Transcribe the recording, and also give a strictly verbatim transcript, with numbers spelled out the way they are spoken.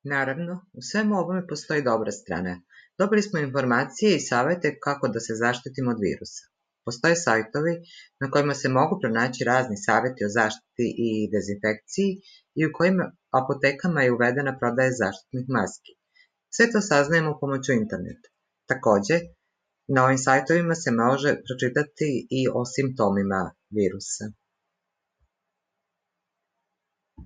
Naravno, u svemu ovome postoji dobra strana. Dobili smo informacije i savete kako da se zaštitimo od virusa. Postoje sajtovi na kojima se mogu pronaći razni saveti o zaštiti i dezinfekciji i u kojim apotekama je uvedena prodaja zaštitnih maski. Sve to saznajemo pomoću interneta. Takođe, na ovim sajtovima se može pročitati i o simptomima virusa.